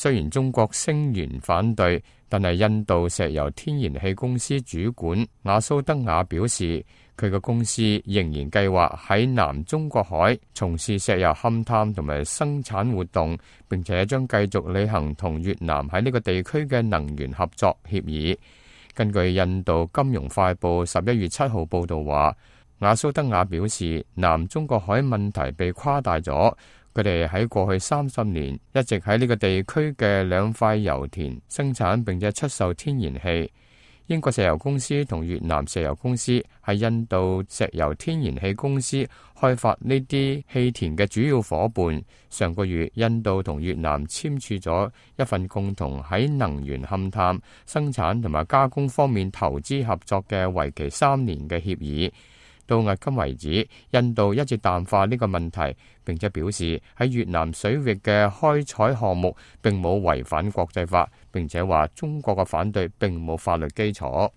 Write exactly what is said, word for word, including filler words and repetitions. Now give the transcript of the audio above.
雖然中國聲言反對，但係印度石油天然氣公司主管雅蘇德雅表示，佢嘅公司仍然計劃喺南中國海從事石油勘探同埋生產活動，並且將繼續履行同越南喺呢個地區嘅能源合作協議。根據印度金融快報十一月七號報道話，雅蘇德雅表示，南中國海問題被誇大咗。佢哋喺過去三十年一直喺呢個地區嘅兩塊油田生產並且出售天然氣。英國石油公司同越南石油公司係印度石油天然氣公司開發呢啲氣田嘅主要伙伴。上個月，印度同越南簽署咗一份共同喺能源勘探、生產同埋加工方面投資合作嘅為期三年嘅協議。到迄今為止，印度一直淡化呢個問題，並且表示喺越南水域嘅開採項目並冇違反國際法，並且話中國嘅反對並冇法律基礎。